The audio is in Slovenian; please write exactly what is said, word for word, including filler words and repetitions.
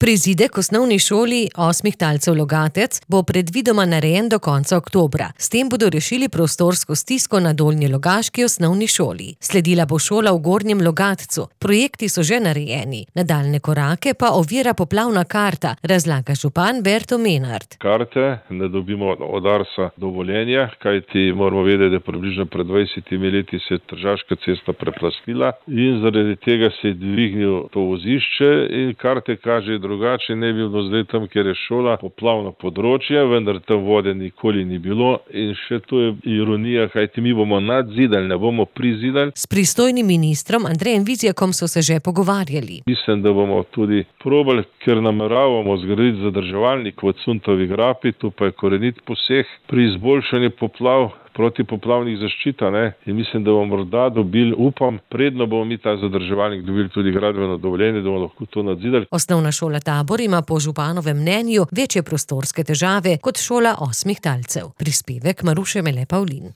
Prizidek osnovni šoli osmih talcev Logatec bo predvidoma narejen do konca oktobra. S tem bodo rešili prostorsko stisko na doljnjelogaški osnovni šoli. Sledila bo šola v Gornjem Logatcu. Projekti so že narejeni. Nadaljnje korake pa ovira poplavna karta, razlaga župan Berto Menard. Karte ne dobimo od Arsa dovoljenja, kajti moramo vedeti, da približno pred dvajsetimi leti se je Tržaška cesta preplastila in zaradi tega se je dvignil to vozišče in karte kaže drugače, ne bi bilo zdaj tam, kjer je šola, poplavno področje, vendar tam vode nikoli ni bilo in še to je ironija, kajti mi bomo nadzidali, ne bomo prizidali. S pristojnim ministrom Andrejem Vizjakom so se že pogovarjali. Mislim, da bomo tudi probali, ker nameravamo zgraditi zadrževalnik v Cuntovi grapi, tu pa je korenit poseg pri izboljšanju poplav, protipoplavnih zaščita, ne, in mislim, da bomo morda dobili, upam, predno bomo mi ta zadrževalnik dobili tudi gradbeno dovoljenje, da bomo lahko to nadzidali. Osnovna šola Tabor ima po županovem mnenju večje prostorske težave kot šola osmih talcev. Prispevek Maruše Mele Pavlin.